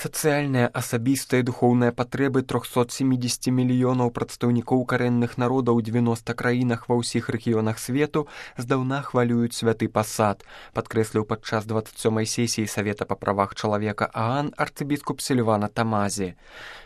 Сацыяльныя, асабістыя і духоўныя патрэбы 370 мільёнаў прадстаўнікоў карэнных народаў у 90 краінах ва ўсіх рэгіёнах свету здаўна хвалююць святы пасад, падкрэсліў падчас 27-й сесіі Савета па правах чалавека ААН арцыбіскуп Сільвана Тамазі.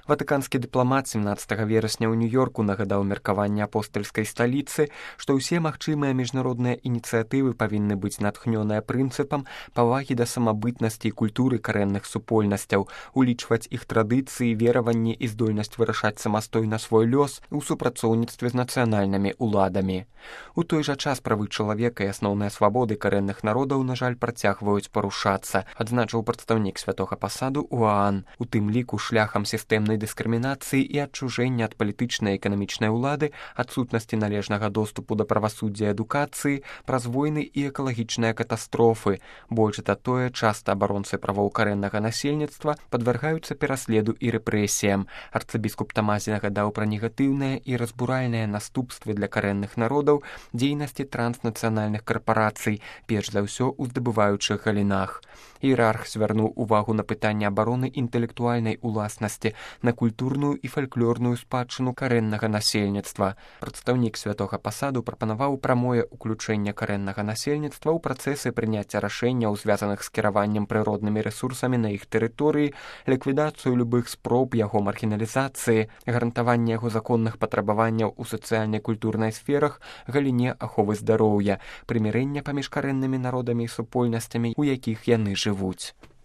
Ватыканскі дыпламат 17 верасня ў Нью-Йорку нагадаў меркаванне апостальскай сталіцы, што ўсе магчымыя міжнародныя ініцыятывы павінны быць натхнёныя прынцыпам павагі да самабытнасці і культуры карэнных супольнасцяў, улічваць іх традыцыі, вераванні і здольнасць вырашаць самастойна свой лёс у супрацоўніцтве з нацыянальнымі ўладамі. У той жа час правы чалавека і асноўныя свабоды карэнных народаў, на жаль, працягваюць парушацца, адзначыў прадстаўнік святога пасаду ў ААН, у тым ліку шляхам сістэмнай дыскрымінацыі і адчужэння ад палітычнай і эканамічнай улады, адсутнасці належнага доступу да правасуддзя і адукацыі, праз войны і экалагічныя катастрофы. Больш за тое, часта абаронцы правоў карэннага насельніцтва падвяргаюцца пераследу і рэпрэсіям. Арцыбіскуп Тамазі нагадаў пра негатыўныя і разбуральныя наступствы для карэнных народаў дзейнасці транснацыянальных карпарацый, перш за ўсё ў здабываючых галінах. Іерарх звярнуў увагу на пытанне абароны інтэлектуальнай уласнасці, на культурную і фальклорную спадчыну карэннага насельніцтва. Прадстаўнік святога пасаду прапанаваў прамое ўключэнне карэннага насельніцтва ў працэсы прыняцця рашэнняў, звязаных з кіраваннем прыроднымі рэсурсамі на іх тэрыторыі, ліквідацыю любых спроб яго маргіналізацыі, гарантаванне яго законных патрабаванняў у сацыяльнай культурнай сферах, галіне аховы здароўя, прымірэння паміж карэннымі народамі і супольнасцямі, у якіх яны жывуць.